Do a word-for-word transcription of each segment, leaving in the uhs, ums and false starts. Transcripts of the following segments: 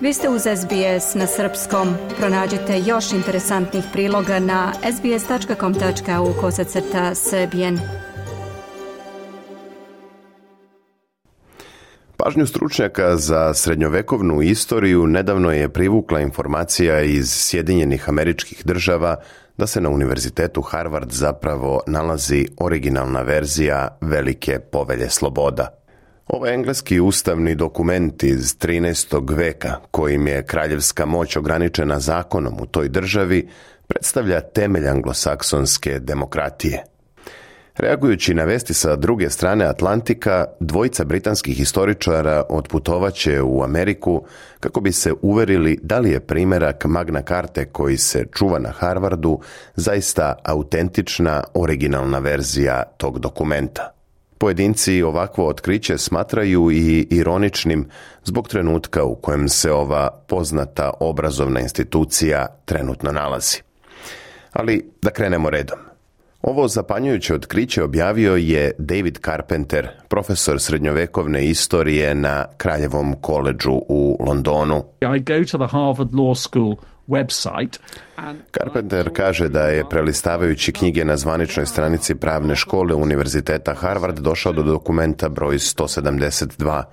Vi ste uz S B S na srpskom. Pronađite još interesantnih priloga na sbs.com.au kosacrta srbijen. Pažnju stručnjaka za srednjovekovnu istoriju nedavno je privukla informacija iz Sjedinjenih Američkih Država da se na Univerzitetu Harvard zapravo nalazi originalna verzija Velike povelje sloboda. Ovaj engleski ustavni dokument iz trinaestog veka, kojim je kraljevska moć ograničena zakonom u toj državi, predstavlja temelj anglosaksonske demokratije. Reagujući na vesti sa druge strane Atlantika, dvojica britanskih historičara otputovaće u Ameriku kako bi se uverili da li je primerak Magna Carte koji se čuva na Harvardu zaista autentična, originalna verzija tog dokumenta. Pojedinci ovakvo otkriće smatraju i ironičnim zbog trenutka u kojem se ova poznata obrazovna institucija trenutno nalazi. Ali da krenemo redom. Ovo zapanjujuće otkriće objavio je David Carpenter, profesor srednjovekovne istorije na Kraljevom koledžu u Londonu. I go to the Harvard Law School website. Carpenter kaže da je prelistavajući knjige na zvaničnoj stranici pravne škole Univerziteta Harvard došao do dokumenta broj sto sedamdeset dva.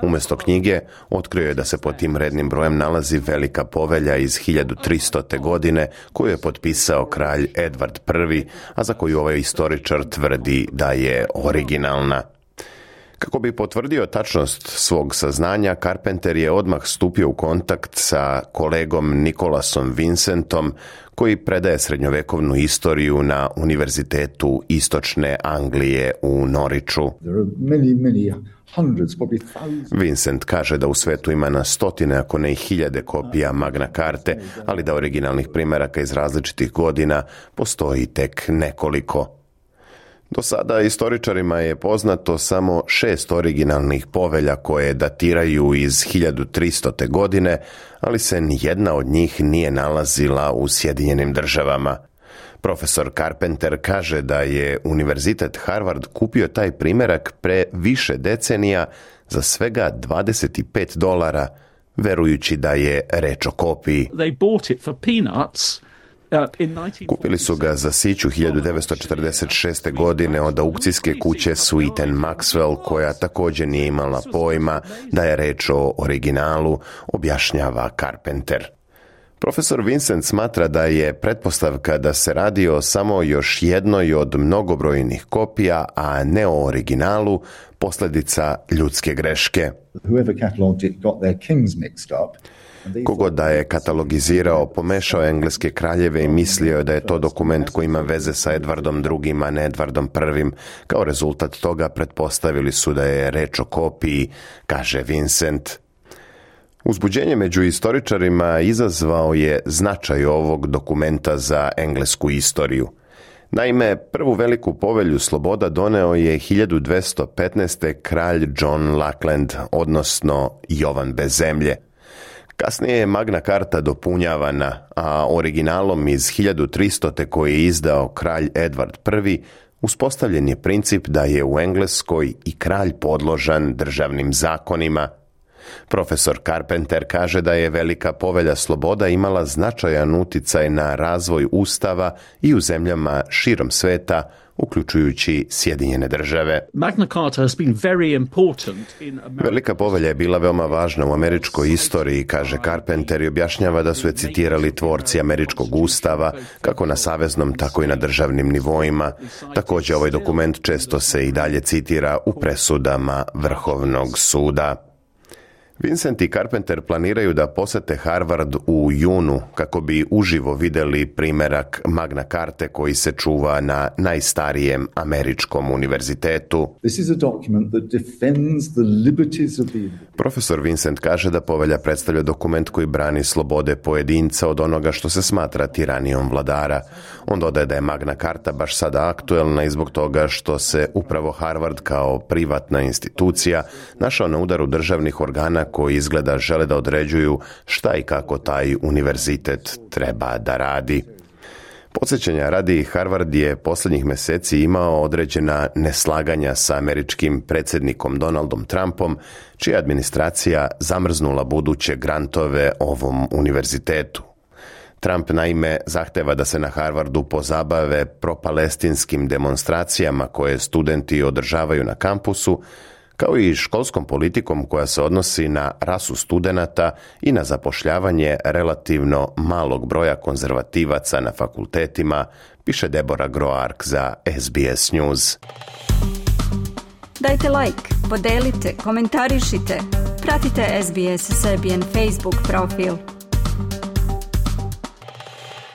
Umjesto knjige otkrio je da se pod tim rednim brojem nalazi Velika povelja iz hiljadu tristote. godine koju je potpisao kralj Edward Prvi, a za koju ovaj istoričar tvrdi da je originalna. Kako bi potvrdio tačnost svog saznanja, Carpenter je odmah stupio u kontakt sa kolegom Nicolasom Vincentom, koji predaje srednjovekovnu istoriju na Univerzitetu Istočne Anglije u Norwichu. Vincent kaže da u svetu ima na stotine, ako ne i hiljade kopija Magna Carte, ali da originalnih primeraka iz različitih godina postoji tek nekoliko. Do sada istoričarima je poznato samo šest originalnih povelja koje datiraju iz hiljadu tristote. godine, ali se nijedna od njih nije nalazila u Sjedinjenim Državama. Profesor Carpenter kaže da je Univerzitet Harvard kupio taj primerak pre više decenija za svega dvadeset pet dolara, verujući da je reč o kopiji. They bought it for peanuts. Kupili su ga za siću hiljadu devetsto četrdeset šeste. godine od aukcijske kuće Sweet and Maxwell, koja također nije imala pojma da je reč o originalu, objašnjava Carpenter. Profesor Vincent smatra da je pretpostavka da se radi o samo još jednoj od mnogobrojnih kopija, a ne o originalu, posljedica ljudske greške. Kogod da je katalogizirao, pomešao engleske kraljeve i mislio je da je to dokument koji ima veze sa Edvardom drugim, a ne Edvardom prvim. Kao rezultat toga pretpostavili su da je reč o kopiji, kaže Vincent. Uzbuđenje među istoričarima izazvao je značaj ovog dokumenta za englesku istoriju. Naime, prvu Veliku povelju sloboda doneo je hiljadu dvesta petnaeste. kralj John Lackland, odnosno Jovan bez zemlje. Kasnije je Magna Carta dopunjavana, a originalom iz hiljadu tristote. koji je izdao kralj Edward Prvi, uspostavljen je princip da je u Engleskoj i kralj podložan državnim zakonima. Profesor Carpenter kaže da je Velika povelja sloboda imala značajan uticaj na razvoj ustava i u zemljama širom sveta, uključujući Sjedinjene Države. Magna Carta has been very important in America. Velika povelja je bila veoma važna u američkoj istoriji, kaže Carpenter, i objašnjava da su je citirali tvorci američkog ustava, kako na saveznom, tako i na državnim nivoima. Također ovaj dokument često se i dalje citira u presudama Vrhovnog suda. Vincent i Carpenter planiraju da posete Harvard u junu kako bi uživo vidjeli primerak Magna Carte koji se čuva na najstarijem američkom univerzitetu. Profesor Vincent kaže da povelja predstavlja dokument koji brani slobode pojedinca od onoga što se smatra tiranijom vladara. On dodaje da je Magna Carta baš sada aktuelna i zbog toga što se upravo Harvard kao privatna institucija našao na udaru državnih organa koji izgleda žele da određuju šta i kako taj univerzitet treba da radi. Podsjećanja radi, Harvard je posljednjih mjeseci imao određena neslaganja sa američkim predsjednikom Donaldom Trumpom, čija administracija zamrznula buduće grantove ovom univerzitetu. Trump naime zahteva da se na Harvardu pozabave propalestinskim demonstracijama koje studenti održavaju na kampusu, kao i školskom politikom koja se odnosi na rasu studenata i na zapošljavanje relativno malog broja konzervativaca na fakultetima, piše Deborah Groark za S B S News. Dajte like, podelite, komentarišite, pratite S B S Serbian Facebook profil.